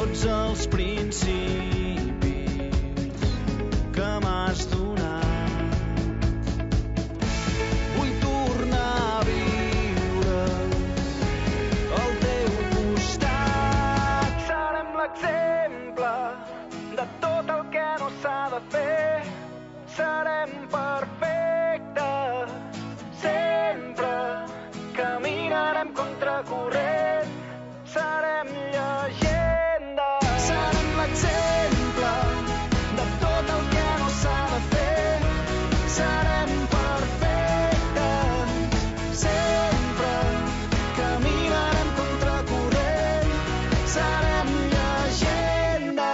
tots els principis que m'has donat. Vull tornar a viure al teu costat. Serem l'exemple de tot el que no s'ha de fer. Serem perfectes sempre. Caminarem contracorrent. Serem llegenda. Serem l'exemple de tot el que no s'ha de fer. Serem perfectes sempre. Caminarem contracorrent. Serem llegenda.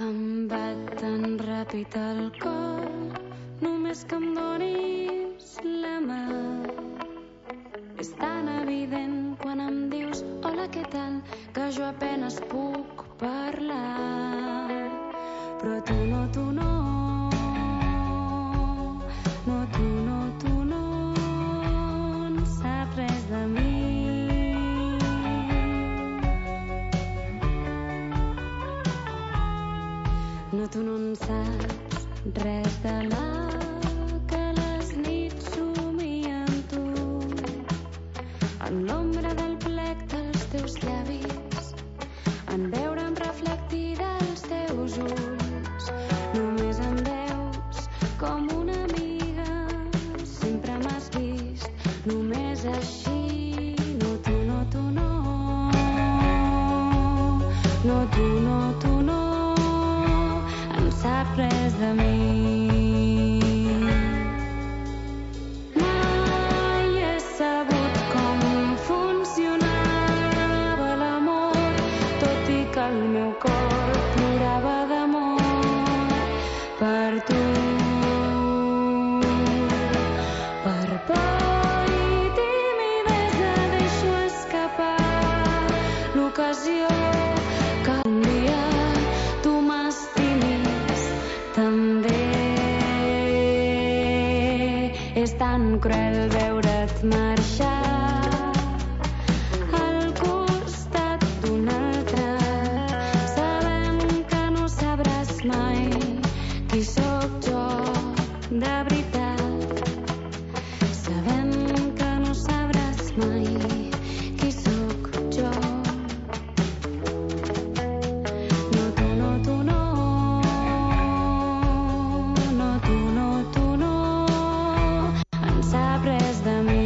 Em bat tan ràpid el cor, només que em donis la mà. És tan evident quan em dius hola, què tal, que jo apenes puc parlar. Però tu no, tu no. No, tu no, tu no. No saps res de mi. No, tu no en saps res de la que les nits somien tu. En l'ombra del plec dels teus llavis, en veure'm reflectida als teus ulls. Només em veus com una amiga, sempre m'has vist només així. No, tu no, tu no. No, tu no, tu no. Sap res de mi. Mai he sabut com funcionava l'amor, tot i que el meu cor plorava d'amor per tu. Per por i timidesa deixo escapar l'ocasió que un dia tu m'estimis també. És tan cruel veure't marxar al costat d'un altre, sabent que no sabràs mai qui sóc jo de veritat, sabent que no sabràs mai qui sóc jo. No, tu no, tu no. No, tu no, tu no. En sap res de mi.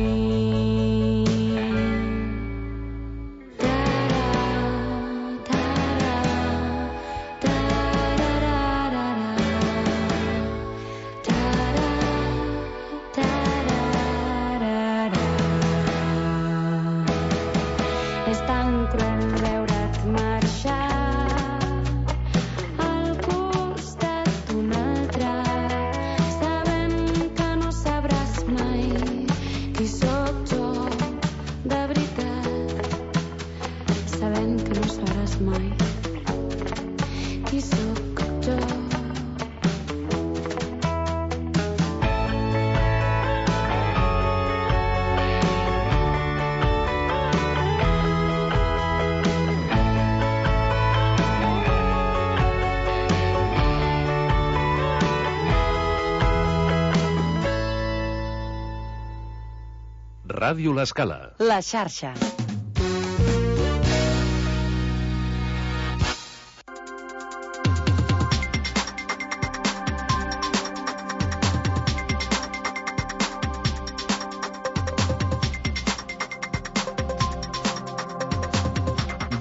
És tan cruel veure't marxar al costat d'un altre, sabent que no sabràs mai qui sóc jo de veritat, sabent que no sabràs mai qui sóc jo. Ràdio L'Escala. La xarxa.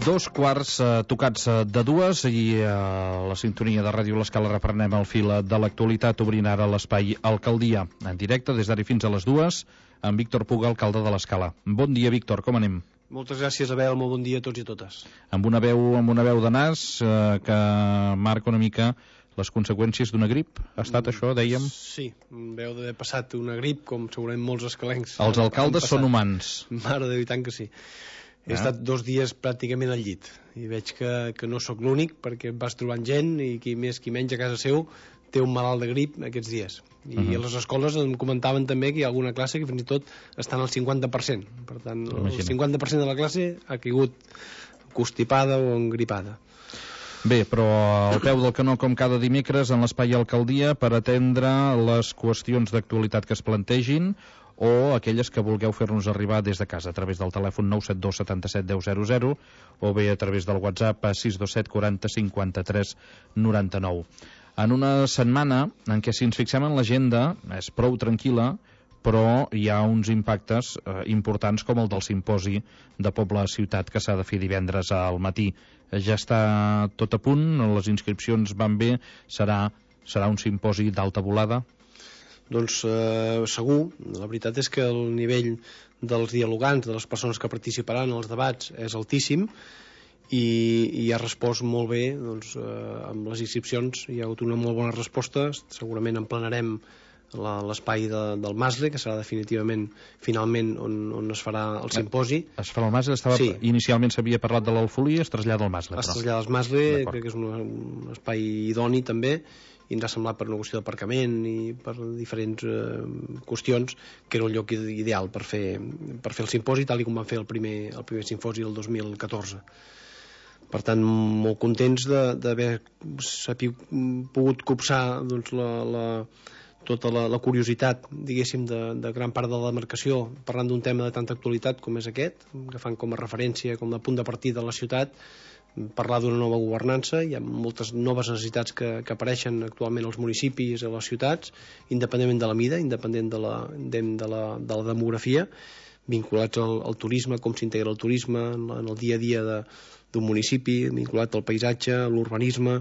Dos quarts tocats de dues i a la sintonia de Ràdio L'Escala reprenem el fil de l'actualitat, obrint ara l'espai Alcaldia en directe des d'ara fins a les dues amb Víctor Puga, alcalde de l'Escala. Bon dia, Víctor, com anem? Moltes gràcies, Abel, molt bon dia a tots i a totes. Amb una veu de nas que marca una mica les conseqüències d'una grip? Ha estat això, dèiem? Sí, veu d'haver passat una grip, com segurament molts escalencs. Els alcaldes són humans. Mare de Déu, i tant que sí. He estat 2 dies pràcticament al llit i veig que no sóc l'únic, perquè et vas trobant gent i qui més qui menys a casa seu té un malalt de grip aquests dies. I a les escoles em comentaven també que hi ha alguna classe que fins i tot estan al 50%. Per tant, el 50% de la classe ha caigut constipada o engripada. Bé, però al peu del canó, com cada dimecres, en l'Espai Alcaldia, per atendre les qüestions d'actualitat que es plantegin o aquelles que vulgueu fer-nos arribar des de casa, a través del telèfon 972 77 10 00 o bé a través del WhatsApp 627 40 53 99. En una setmana en què, si ens fixem en l'agenda, és prou tranquil·la, però hi ha uns impactes importants com el del simposi de Poble a Ciutat que s'ha de fer divendres al matí. Ja està tot a punt, les inscripcions van bé, serà un simposi d'alta volada? Doncs segur, la veritat és que el nivell dels dialogants, de les persones que participaran en els debats és altíssim i ha respost molt bé, doncs, amb les inscripcions hi ha hagut una molt bona resposta, segurament emplenarem l'espai del Masle, que serà definitivament finalment on es farà el simposi. Es farà el Masle? Sí. Inicialment s'havia parlat de l'Alfolí, es trasllada al Masle. Es trasllada al Masle, crec que és un espai idoni també, i ens ha semblat per una qüestió d'aparcament i per diferents qüestions que era un lloc ideal per fer el simposi, tal com van fer el primer simposi del 2014. Per tant, molt contents d'haver pogut copsar doncs, tota la curiositat, diguéssim, de gran part de la demarcació, parlant d'un tema de tanta actualitat com és aquest, agafant com a referència, com a punt de partida de la ciutat, parlar d'una nova governança. Hi ha moltes noves necessitats que apareixen actualment als municipis i a les ciutats, independentment de la mida, independent de la demografia, vinculats al turisme, com s'integra el turisme en el dia a dia d'un municipi, vinculat al paisatge, a l'urbanisme,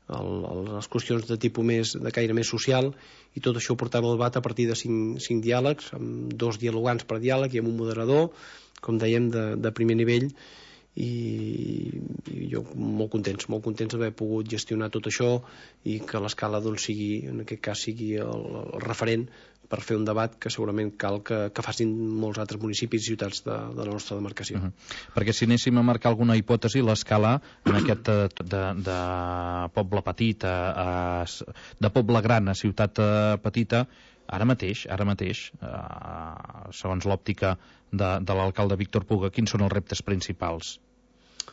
a les qüestions de tipus de caire més social, i tot això ho portava al debat a partir de 5 diàlegs, amb 2 dialogants per diàleg i amb un moderador, com dèiem, de primer nivell, i jo molt contents d'haver pogut gestionar tot això i que l'Escala doncs, en aquest cas sigui el referent per fer un debat que segurament cal que facin molts altres municipis i ciutats de la nostra demarcació. Perquè si anéssim a marcar alguna hipòtesi, l'Escala en aquest de poble petit de poble gran a ciutat petita, ara mateix segons l'òptica de l'alcalde Víctor Puga, quins són els reptes principals?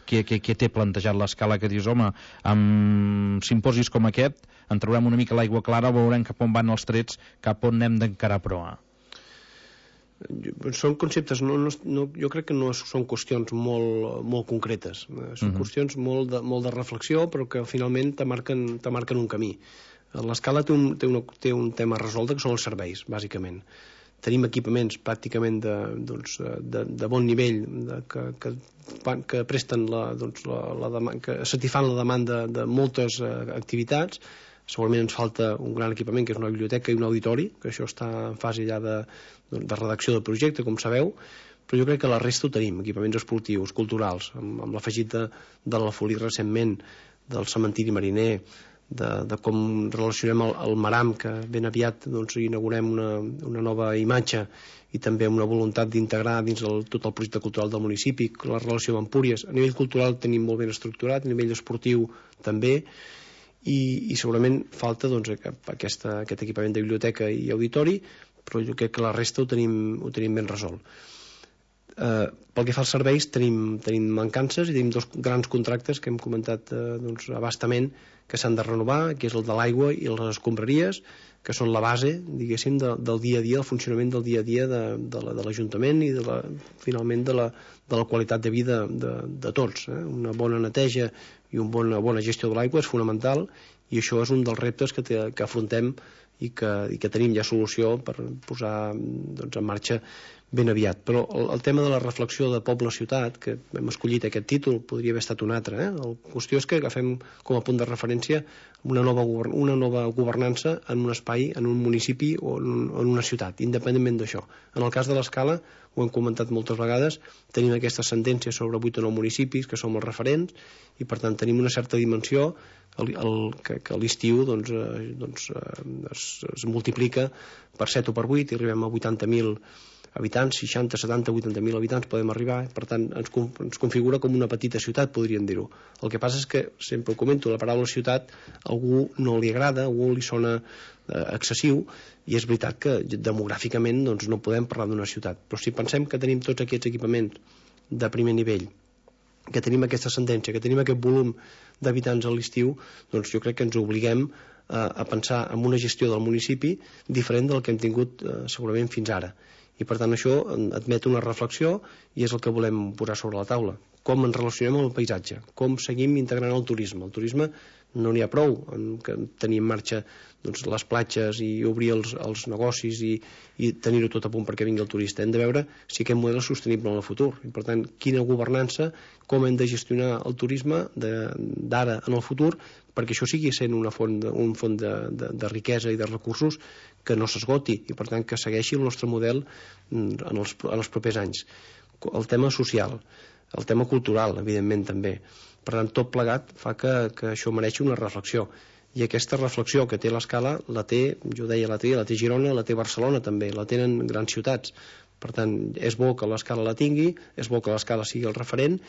Què té plantejat l'Escala, que dius, home, amb simposis com aquest en traurem una mica l'aigua clara, veurem cap on van els trets, cap on hem d'encarar proa? Són conceptes, jo crec que no són qüestions molt concretes, són qüestions molt de reflexió, però que finalment te marquen un camí. L'Escala té un tema resolt, que són els serveis, bàsicament. Tenim equipaments pràcticament de bon nivell que presten que satisfan la demanda de moltes activitats. Segurament ens falta un gran equipament, que és una biblioteca i un auditori, que això està en fase ja de redacció del projecte, com sabeu, però jo crec que la resta ho tenim, equipaments esportius, culturals, amb l'afegit de l'Alfolí recentment, del cementiri mariner, de com relacionem el Maram, que ben aviat inaugurem una nova imatge, i també una voluntat d'integrar dins tot el projecte cultural del municipi la relació amb Empúries. A nivell cultural tenim molt ben estructurat, a nivell esportiu també, i segurament falta aquest equipament de biblioteca i auditori, però jo crec que la resta ho tenim ben resolt. Pel que fa als serveis tenim mancances i tenim 2 grans contractes que hem comentat abastament que s'han de renovar, que és el de l'aigua i les escombraries, que són la base, diguéssim, del dia a dia, del funcionament del dia a dia de l'Ajuntament i finalment de la qualitat de vida de tots. Una bona neteja i una bona gestió de l'aigua és fonamental, i això és un dels reptes que afrontem i que tenim ja solució per posar doncs, en marxa ben aviat. Però el tema de la reflexió de poble-ciutat, que hem escollit aquest títol, podria haver estat un altre. La qüestió és que agafem com a punt de referència una nova governança en un espai, en un municipi o en una ciutat, independentment d'això. En el cas de l'Escala, ho hem comentat moltes vegades, tenim aquesta sentència sobre 8 o 9 municipis que som els referents i per tant tenim una certa dimensió que a l'estiu es multiplica per 7 o per 8 i arribem a 80.000 habitants, 60, 70, 80.000 habitants podem arribar, per tant ens configura com una petita ciutat, podríem dir-ho. El que passa és que, sempre ho comento, la paraula ciutat a algú no li agrada, a algú li sona excessiu, i és veritat que demogràficament doncs, no podem parlar d'una ciutat, però si pensem que tenim tots aquests equipaments de primer nivell, que tenim aquesta sentència, que tenim aquest volum d'habitants a l'estiu, doncs jo crec que ens obliguem a pensar en una gestió del municipi diferent del que hem tingut segurament fins ara. I per tant això admet una reflexió i és el que volem posar sobre la taula. Com ens relacionem amb el paisatge, com seguim integrant el turisme. El turisme no n'hi ha prou que tenir en marxa doncs, les platges i obrir els negocis i tenir-ho tot a punt perquè vingui el turista. Hem de veure si aquest model és sostenible en el futur. I per tant, quina governança, com hem de gestionar el turisme d'ara en el futur perquè això sigui sent un font de riquesa i de recursos que no s'esgoti i per tant que segueixi el nostre model en els propers anys. El tema social, el tema cultural, evidentment també. Per tant, tot plegat fa que això mereixi una reflexió. I aquesta reflexió que té l'Escala la té, jo deia la té Girona, la té Barcelona també, la tenen grans ciutats. Per tant, és bo que l'Escala la tingui, és bo que l'Escala sigui el referent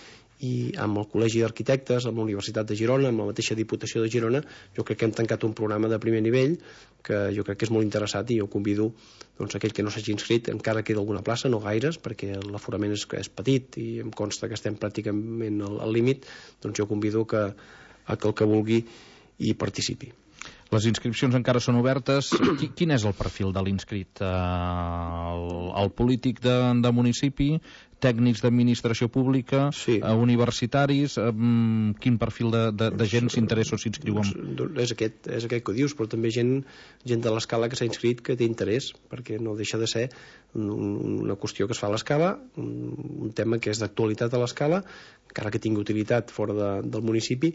i amb el Col·legi d'Arquitectes, amb la Universitat de Girona, amb la mateixa Diputació de Girona, jo crec que hem tancat un programa de primer nivell que jo crec que és molt interessat i jo convido doncs, aquell que no s'hagi inscrit, encara queda alguna plaça, no gaires, perquè l'aforament és petit i em consta que estem pràcticament al límit, doncs jo convido que el que vulgui hi participi. Les inscripcions encara són obertes. Quin és el perfil de l'inscrit? El polític de municipi, tècnics d'administració pública, sí. Universitaris, quin perfil de gent s'interessa o s'inscriu? És aquest que dius, però també gent de l'Escala que s'ha inscrit que té interès, perquè no deixa de ser una qüestió que es fa a l'Escala, un tema que és d'actualitat a l'Escala, encara que tingui utilitat fora del municipi,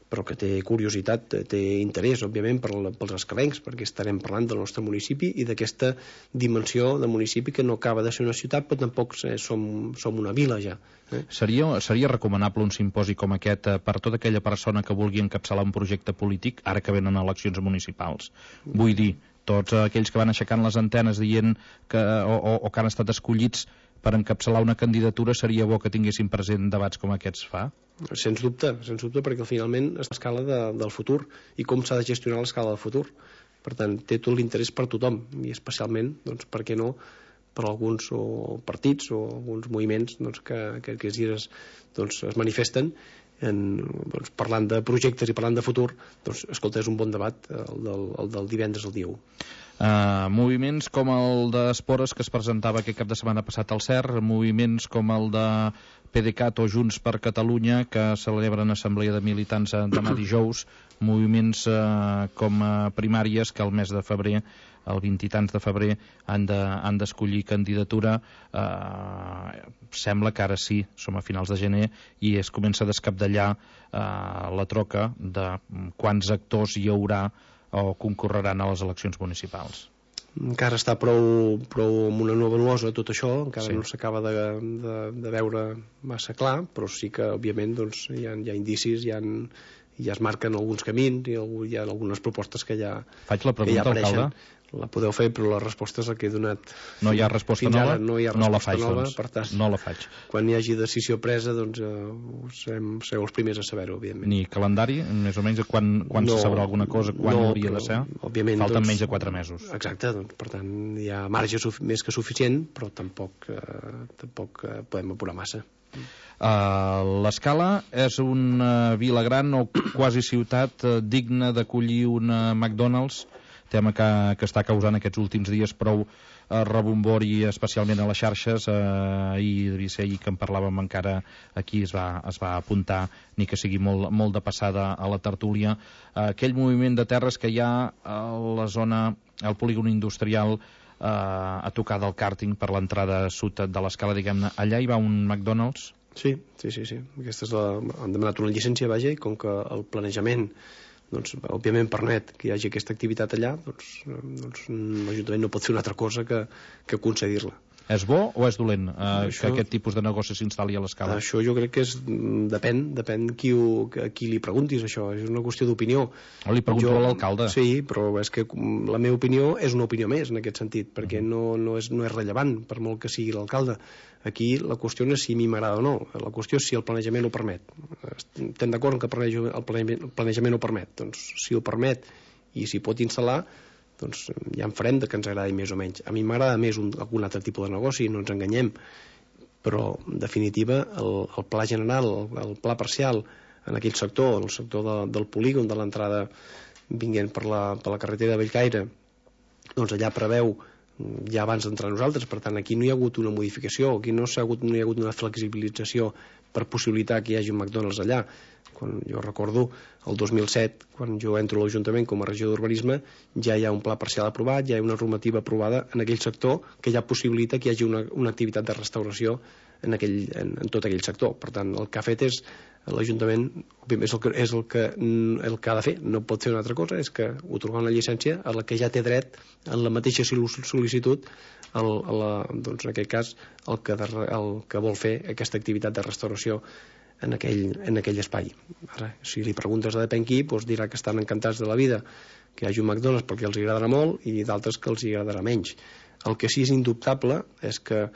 però que té curiositat, té interès, òbviament, pels escalencs, perquè estarem parlant del nostre municipi i d'aquesta dimensió de municipi que no acaba de ser una ciutat, però tampoc som una vila ja. Seria recomanable un simposi com aquest per tota aquella persona que vulgui encapçalar un projecte polític ara que venen eleccions municipals? Vull dir, tots aquells que van aixecant les antenes dient que han estat escollits per encapçalar una candidatura, seria bo que tinguessin present debats com aquests fa? Sens dubte, perquè finalment és l'escala del futur i com s'ha de gestionar l'escala del futur. Per tant, té tot l'interès per tothom i especialment, doncs, per què no, per alguns partits o alguns moviments doncs, que es manifesten parlant de projectes i parlant de futur. Doncs, escolta, és un bon debat el del divendres al dia 1. Moviments com el d'Espores que es presentava aquest cap de setmana passat al CER, moviments com el de PDeCAT o Junts per Catalunya que celebren assemblea de militants demà dijous, moviments com primàries que el mes de febrer, el 20 i tants de febrer, han d'escollir candidatura. Sembla que ara sí, som a finals de gener i es comença a descapdallar la troca de quants actors hi haurà o concorreran a les eleccions municipals. Encara està prou amb una nova nuosa tot això, encara sí. No s'acaba de veure massa clar, però sí que òbviament doncs, hi ha indicis, ja es marquen alguns camins i hi ha algunes propostes que ja Faig la pregunta, alcalde? La podeu fer, però la resposta és la que he donat. No hi ha resposta nova? No hi ha resposta no la faig, nova, doncs. Per tant, no la faig. Quan hi hagi decisió presa, doncs sereu els primers a saber-ho, òbviament. Ni calendari, més o menys, quan se sabrà alguna cosa, quan hauria de ser? Òbviament, falten menys de 4 mesos. Exacte, doncs, per tant, hi ha marge més que suficient, però tampoc podem apurar massa. L'Escala és una vila gran o quasi ciutat digna d'acollir una McDonald's. tema que està causant aquests últims dies prou rebombori, especialment a les xarxes. Ahir devia ser ahir que en parlàvem, encara aquí es va apuntar, ni que sigui molt de passada a la tertúlia, aquell moviment de terres que hi ha a la zona, al polígon industrial, a tocar del càrting per l'entrada sud de l'escala, diguem-ne. Allà hi va un McDonald's? Sí. Aquesta han demanat una llicència, vaja, i com que el planejament doncs, òbviament permet que hi hagi aquesta activitat allà, doncs l'Ajuntament no pot fer una altra cosa que concedir-la. És bo o és dolent que aquest tipus de negoci s'instal·li a l'escala? Això jo crec que depèn a qui li preguntis, això. És una qüestió d'opinió. Li pregunto a l'alcalde. Sí, però és que la meva opinió és una opinió més en aquest sentit, perquè no és rellevant, per molt que sigui l'alcalde. Aquí la qüestió no és si a mi m'agrada o no, la qüestió és si el planejament ho permet. Estem d'acord que el planejament ho permet. Doncs si ho permet i s'hi pot instal·lar, doncs ja en farem que ens agradi més o menys. A mi m'agrada més algun altre tipus de negoci, no ens enganyem, però en definitiva el pla general, el pla parcial en aquell sector, el sector del polígon, de l'entrada vinguent per la carretera de Bellcaire, doncs allà preveu ja abans d'entrar nosaltres. Per tant, aquí no hi ha hagut una modificació, aquí no hi ha hagut una flexibilització per possibilitar que hi hagi un McDonald's allà. Quan jo recordo el 2007, quan jo entro a l'Ajuntament com a regió d'urbanisme, ja hi ha un pla parcial aprovat, ja hi ha una normativa aprovada en aquell sector que ja possibilita que hi hagi una activitat de restauració en tot aquell sector. Per tant, el que ha fet és l'Ajuntament, és el que ha de fer, no pot fer una altra cosa, és que otorgar una llicència a la que ja té dret en la mateixa sol·licitud, doncs en aquest cas el que vol fer aquesta activitat de restauració en aquell espai. Ara, si li preguntes a depèn qui, doncs dirà que estan encantats de la vida que hi hagi un McDonald's perquè els agradarà molt i d'altres que els agradarà menys. El que sí és indubtable és que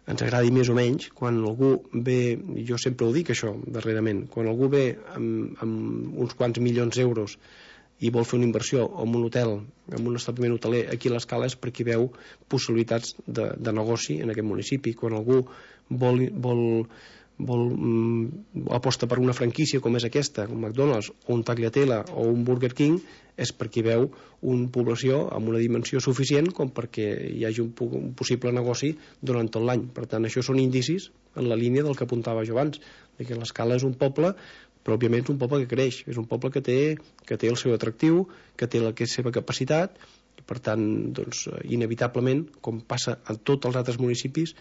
ens agradi més o menys, quan algú ve, jo sempre ho dic això darrerament, quan algú ve amb uns quants milions d'euros i vol fer una inversió en un hotel, en un establiment hoteler aquí a l'Escala, és perquè veu possibilitats de negoci en aquest municipi. Quan algú aposta per una franquícia com és aquesta, un McDonald's o un Tagliatella o un Burger King, és perquè veu una població amb una dimensió suficient com perquè hi hagi un possible negoci durant tot l'any. Per tant, això són indicis en la línia del que apuntava jo abans, que l'Escala és un poble, però òbviament és un poble que creix, és un poble que té el seu atractiu, que té la seva capacitat, i per tant, doncs, inevitablement, com passa en tots els altres municipis,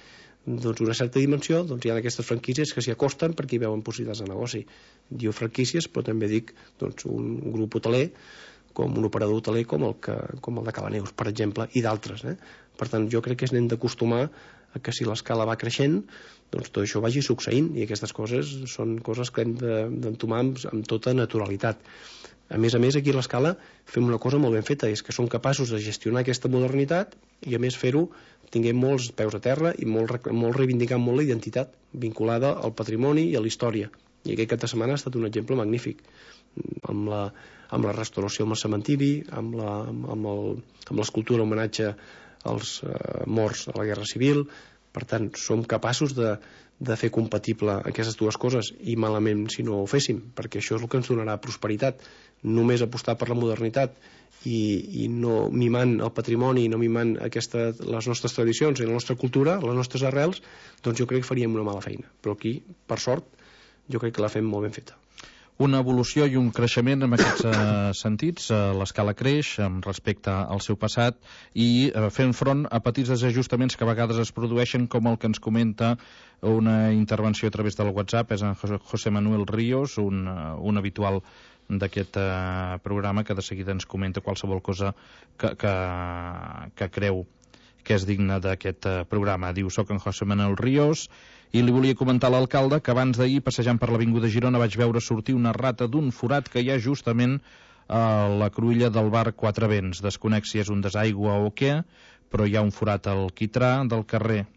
doncs una certa dimensió, doncs hi ha aquestes franquícies que s'hi acosten perquè hi veuen possibilitats de negoci. Diu franquícies, però també dic doncs, un grup hoteler, com un operador hoteler com el de Calaneus, per exemple, i d'altres. Per tant, jo crec que ens hem d'acostumar a que si l'escala va creixent, doncs tot això vagi succeint, i aquestes coses són coses que hem d'entomar amb tota naturalitat. A més, aquí a l'Escala fem una cosa molt ben feta, és que som capaços de gestionar aquesta modernitat i a més fer-ho tinguem molts peus a terra i molt reivindicant molt la identitat vinculada al patrimoni i a la història. I aquest cap de setmana ha estat un exemple magnífic, amb la restauració amb el cementiri, amb l'escultura homenatge als morts a la Guerra Civil. Per tant, som capaços de fer compatible aquestes dues coses, i malament si no ho féssim, perquè això és el que ens donarà prosperitat. Només apostar per la modernitat i no mimant el patrimoni, no mimant les nostres tradicions i la nostra cultura, les nostres arrels, doncs jo crec que faríem una mala feina. Però aquí, per sort, jo crec que la fem molt ben feta. Una evolució i un creixement en aquests sentits. L'Escala creix respecte al seu passat i fent front a petits desajustaments que a vegades es produeixen, com el que ens comenta una intervenció a través del WhatsApp. És en José Manuel Ríos, un habitual d'aquest programa, que de seguida ens comenta qualsevol cosa que creu que és digne d'aquest programa. Diu: soc en José Manuel Ríos i li volia comentar a l'alcalde que abans d'ahir, passejant per l'Avinguda Girona, vaig veure sortir una rata d'un forat que hi ha justament a la cruïlla del bar Quatre Vents. Desconec si és un desaigua o què, però hi ha un forat al quitrà del carrer.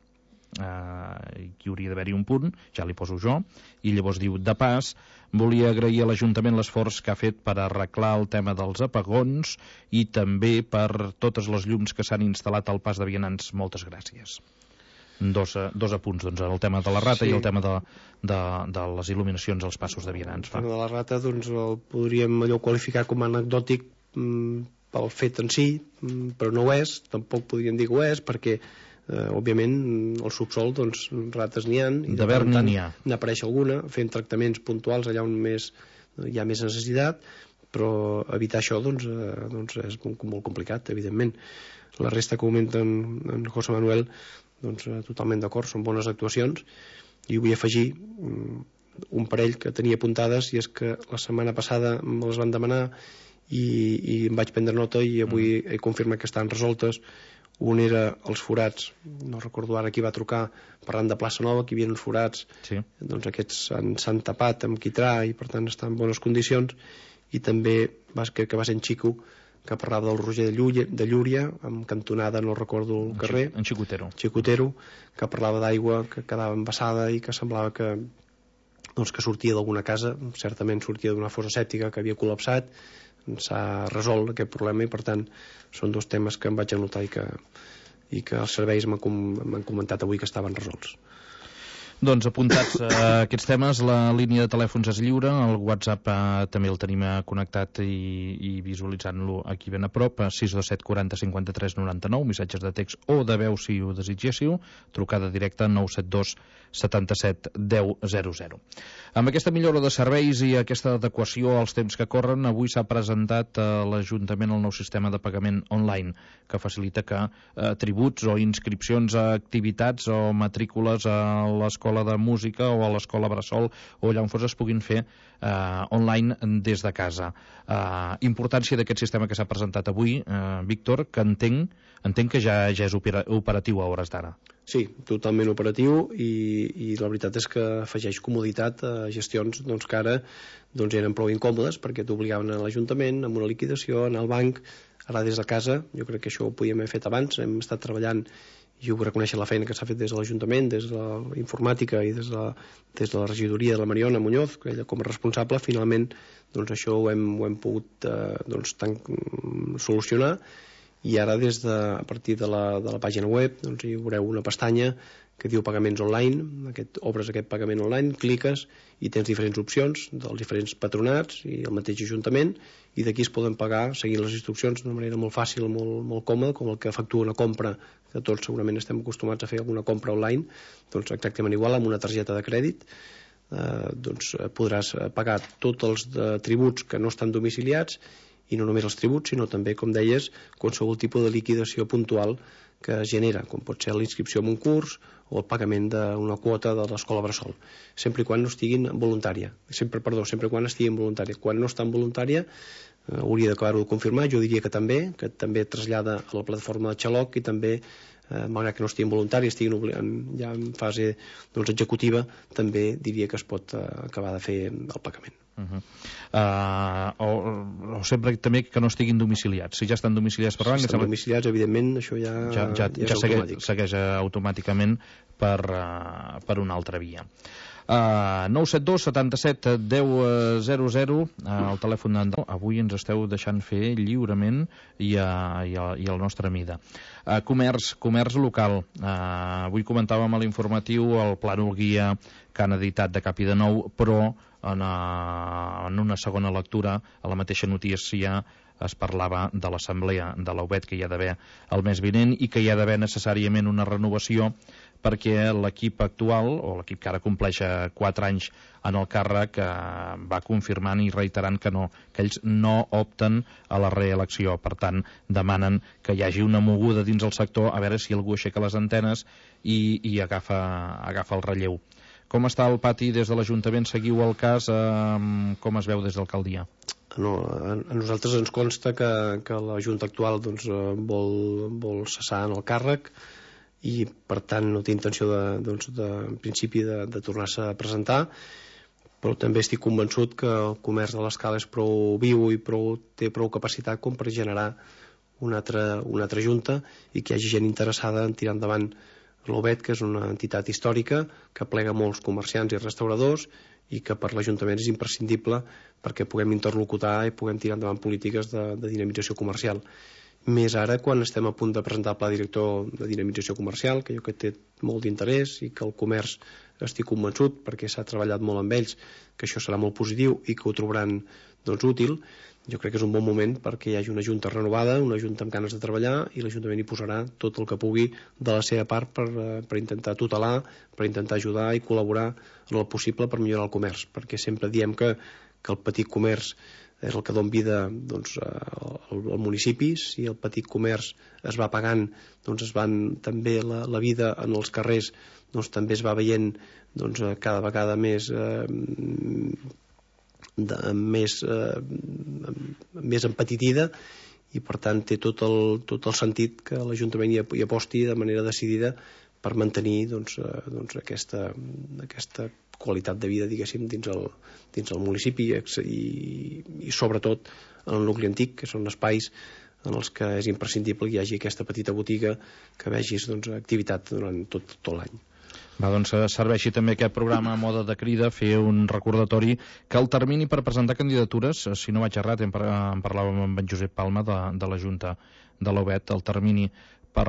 Hi hauria d'haver-hi un punt, ja li poso jo, i llavors diu: de pas, volia agrair a l'Ajuntament l'esforç que ha fet per arreglar el tema dels apagons i també per totes les llums que s'han instal·lat al pas de vianants. Moltes gràcies. Dos apunts, doncs, el tema de la rata, sí, i el tema de les il·luminacions als passos de vianants. El tema de la rata, doncs, el podríem allò qualificar com a anecdòtic, pel fet en si, però no ho és, tampoc podríem dir que ho és, perquè òbviament al subsol doncs rates n'hi ha i de verd n'hi ha, n'apareix alguna, fent tractaments puntuals allà on hi ha més necessitat, però evitar això doncs és molt complicat, evidentment. La resta que comenta en José Manuel, doncs totalment d'acord, són bones actuacions, i vull afegir un parell que tenia apuntades, i és que la setmana passada me les van demanar i em vaig prendre nota i avui he confirmat que estan resoltes. Un era els forats, no recordo ara qui va trucar parlant de Plaça Nova, que hi havia uns forats, sí. Doncs aquests s'han tapat amb quitrà i per tant estan en bones condicions. I també crec que va ser en Xico, que parlava del Roger de Llúria, amb cantonada, no recordo el carrer, en Xicotero, que parlava d'aigua que quedava embassada i que semblava que sortia d'alguna casa, certament sortia d'una fossa sèptica que havia col·lapsat. S'ha resolt aquest problema i per tant són dos temes que em vaig anotar i que els serveis m'han comentat avui que estaven resolts. Doncs apuntats aquests temes, la línia de telèfons és lliure, el WhatsApp també el tenim connectat i visualitzant-lo aquí ben a prop, 627 40 53 99, missatges de text o de veu si ho desitgéssiu, trucada directa 972 77 10 00. Amb aquesta millora de serveis i aquesta adequació als temps que corren, avui s'ha presentat a l'Ajuntament el nou sistema de pagament online, que facilita que tributs o inscripcions a activitats o matrícules a l'escola de música o a l'escola Bressol o allà on fos es puguin fer online des de casa. Importància d'aquest sistema que s'ha presentat avui, Víctor, que entenc que ja és operatiu a hores d'ara. Sí, totalment operatiu i la veritat és que afegeix comoditat a gestions que ara eren prou incòmodes perquè t'obligaven a l'Ajuntament, amb una liquidació, anar al banc. Ara des de casa, jo crec que això ho podíem haver fet abans, hem estat treballant i ho reconèixer la feina que s'ha fet des de l'Ajuntament, des de la informàtica i des de la regidoria de la Mariona Muñoz, que ella com a responsable, finalment això ho hem pogut solucionar. I ara a partir de la pàgina web hi veureu una pestanya que diu pagaments online, obres aquest pagament online, cliques i tens diferents opcions dels diferents patronats i el mateix Ajuntament, i d'aquí es poden pagar seguint les instruccions d'una manera molt fàcil, molt còmoda, com el que efectua una compra, que tots segurament estem acostumats a fer alguna compra online, doncs exactament igual, amb una targeta de crèdit podràs pagar tots els tributs que no estan domiciliats, i no només els tributs, sinó també, com deies, qualsevol tipus de liquidació puntual que es genera, com pot ser l'inscripció en un curs o el pagament d'una quota de l'escola Bressol, sempre quan no estiguin voluntària. Sempre quan estiguin voluntària. Quan no està en voluntària, hauria d'acabar-ho de confirmar, jo diria que també trasllada a la plataforma de Xaloc i també, malgrat que no estiguin voluntaris, estiguin ja en fase executiva, també diria que es pot acabar de fer el pagament. O sempre també que no estiguin domiciliats. Si ja estan domiciliats per banc, si estan domiciliats, evidentment això ja segueix automàticament per una altra via. 972 77 10 00, el telèfon avui ens esteu deixant fer lliurement i el nostre mida. Comerç local, avui comentàvem a l'informatiu el plànol guia que han editat de cap i de nou, però en una segona lectura a la mateixa notícia es parlava de l'assemblea de la UBET que hi ha d'haver el mes vinent i que hi ha d'haver necessàriament una renovació perquè l'equip actual, o l'equip que ara compleix 4 anys en el càrrec, va confirmant i reiterant que ells no opten a la reelecció. Per tant, demanen que hi hagi una moguda dins el sector, a veure si algú aixeca les antenes i agafa el relleu. Com està el pati des de l'Ajuntament? Seguiu el cas? Com es veu des d'alcaldia? No, a nosaltres ens consta que la Junta actual vol cessar en el càrrec i per tant no té intenció en principi de tornar-se a presentar, però també estic convençut que el comerç de l'Escala és prou viu i té prou capacitat com per generar una altra junta i que hi hagi gent interessada en tirar endavant l'OBET, que és una entitat històrica que plega molts comerciants i restauradors i que per l'Ajuntament és imprescindible perquè puguem interlocutar i puguem tirar endavant polítiques de dinamització comercial. Més ara quan estem a punt de presentar el pla director de dinamització comercial, que jo crec que té molt d'interès i que el comerç estic convençut, perquè s'ha treballat molt amb ells, que això serà molt positiu i que ho trobaran útil, jo crec que és un bon moment perquè hi hagi una junta renovada, una junta amb ganes de treballar, i l'Ajuntament hi posarà tot el que pugui de la seva part per intentar tutelar, per intentar ajudar i col·laborar en el possible per millorar el comerç, perquè sempre diem que el petit comerç és el que dona vida, doncs, al municipi. Si el petit comerç es va pagant, doncs es van també la vida en els carrers, doncs també es va veient, doncs, cada vegada més empetitida, i per tant té tot el sentit que l'Ajuntament hi aposti de manera decidida per mantenir doncs, aquesta qualitat de vida, diguéssim, dins el municipi, i sobretot en el nucli antic, que són espais en els que és imprescindible que hi hagi aquesta petita botiga que vegis, doncs, activitat durant tot l'any. Va, doncs serveixi també aquest programa a mode de crida, fer un recordatori que el termini per presentar candidatures, si no vaig errat, en parlàvem amb en Josep Palma de la Junta de l'Obet, el termini per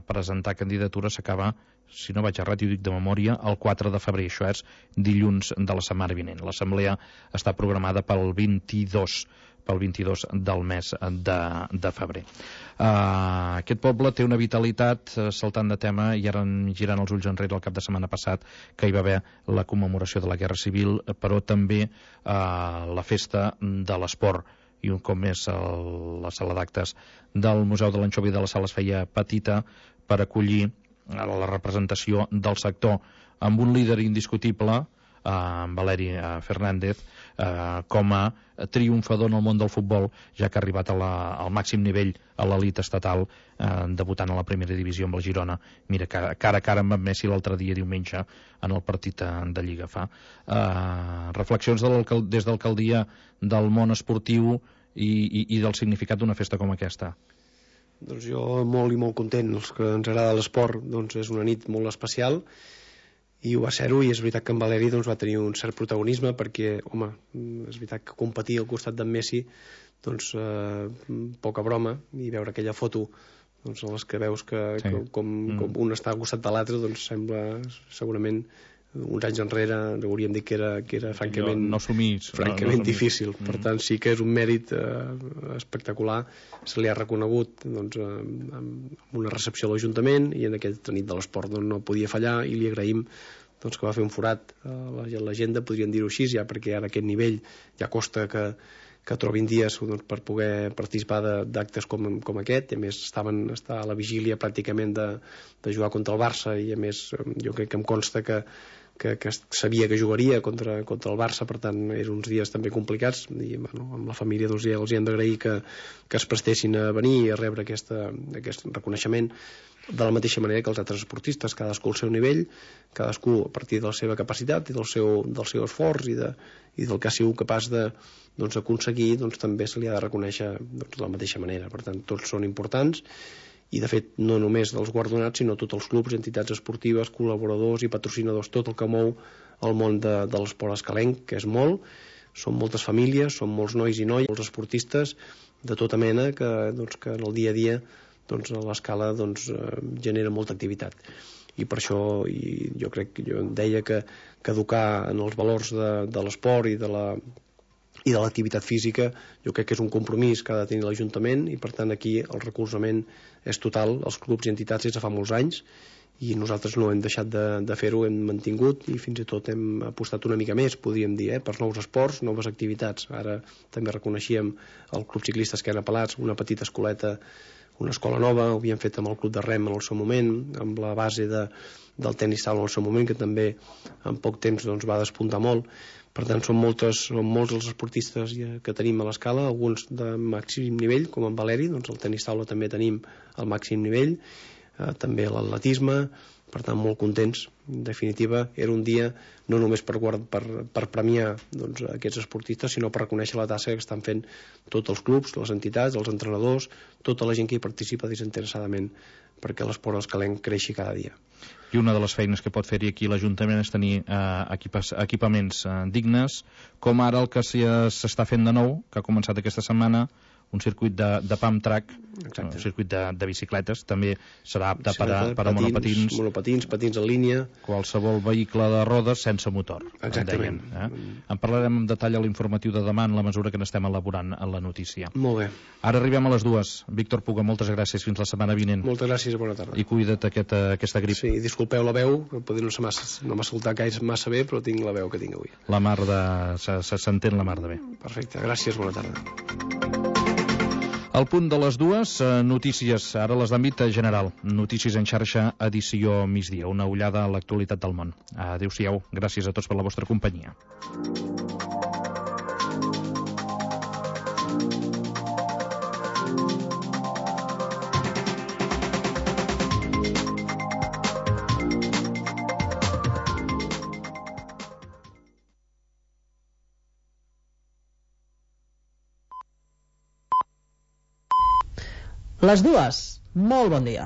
presentar candidatures s'acaba, si no vaig errat, i ho dic de memòria, el 4 de febrer, això és dilluns de la setmana vinent. L'assemblea està programada pel 22 del mes de febrer. Aquest poble té una vitalitat, saltant de tema, i ara girant els ulls enrere el cap de setmana passat, que hi va haver la commemoració de la Guerra Civil, però també la festa de l'esport, i un cop més la sala d'actes del Museu de l'Anxovi de la Sala es feia petita per acollir la representació del sector, amb un líder indiscutible, Valeri Fernández, com a triomfador en el món del futbol, ja que ha arribat al màxim nivell a l'elit estatal, debutant a la primera divisió amb el Girona. Mira, cara a cara amb Messi l'altre dia, diumenge, en el partit de Lliga. Fa reflexions des d'alcaldia del món esportiu i del significat d'una festa com aquesta. Doncs jo molt i molt content. Els que ens agrada l'esport, doncs és una nit molt especial, i ho va ser-ho, i és veritat que en Valeri doncs, va tenir un cert protagonisme, perquè, home, és veritat que competir al costat d'en Messi, doncs poca broma, i veure aquella foto doncs, en les que veus com un està al costat de l'altre, doncs sembla segurament uns anys enrere hauríem dit que era francament difícil. Per tant, sí que és un mèrit espectacular. Se li ha reconegut doncs, amb una recepció a l'Ajuntament, i en aquesta nit de l'esport doncs, no podia fallar, i li agraïm doncs, que va fer un forat a l'agenda, podríem dir-ho així, ja perquè ara a aquest nivell ja costa que trobin dies doncs, per poder participar d'actes com aquest. A més, està a la vigília pràcticament de jugar contra el Barça, i a més jo crec que em consta que sabia que jugaria contra el Barça, per tant eren uns dies també complicats, i bueno, amb la família doncs, ja els hi hem d'agrair que es prestessin a venir i a rebre aquest reconeixement, de la mateixa manera que els altres esportistes, cadascú al seu nivell, cadascú a partir de la seva capacitat i del seu esforç i del que ha sigut capaç d'aconseguir, doncs també se li ha de reconèixer de la mateixa manera. Per tant, tots són importants, i de fet no només dels guardonats, sinó tots els clubs, entitats esportives, col·laboradors i patrocinadors, tot el que mou el món de l'esport escalenc, que és molt. Són moltes famílies, són molts nois i noies, molts esportistes de tota mena que en el dia a dia doncs, a l'escala doncs, genera molta activitat. I per això jo deia que educar en els valors de l'esport i de l'activitat física, jo crec que és un compromís que ha de tenir l'Ajuntament, i per tant aquí el recolzament és total als clubs i entitats des de fa molts anys, i nosaltres no hem deixat de fer-ho, hem mantingut, i fins i tot hem apostat una mica més, podríem dir, per nous esports, noves activitats. Ara també reconeixíem el Club Ciclista Esquena Pelats, una petita escoleta, una escola nova, ho havíem fet amb el Club de Rem en el seu moment, amb la base del tenis taula en el seu moment, que també en poc temps doncs, va despuntar molt. Per tant, són molts els esportistes que tenim a l'escala, alguns de màxim nivell, com en Valeri, doncs el tenis taula també tenim al màxim nivell, també l'atletisme. Per tant, molt contents. En definitiva, era un dia no només per premiar doncs, aquests esportistes, sinó per reconèixer la tasca que estan fent tots els clubs, les entitats, els entrenadors, tota la gent que hi participa desinteressadament perquè l'esport escalenc creixi cada dia. I una de les feines que pot fer-hi aquí l'Ajuntament és tenir equipaments dignes, com ara el que s'està fent de nou, que ha començat aquesta setmana, un circuit de pump track, Exacte. un circuit de bicicletes, també serà apte per a monopatins, patins en línia, qualsevol vehicle de rodes sense motor. Exactament. En parlarem en detall a l'informatiu de demà en la mesura que n'estem elaborant en la notícia. Molt bé. Ara arribem a les 2. Víctor Puga, moltes gràcies, fins la setmana vinent. Moltes gràcies, bona tarda. I cuida't aquesta grip. Sí, disculpeu la veu, potser no m'ha escoltat gaire massa bé, però tinc la veu que tinc avui. La mar s'entén la mar de bé. Perfecte, gràcies, bona tarda. Al punt de les 2, notícies, ara les d'àmbit general. Notícies en xarxa, edició migdia. Una ullada a l'actualitat del món. Adéu-siau, gràcies a tots per la vostra companyia. Les 2, molt bon dia.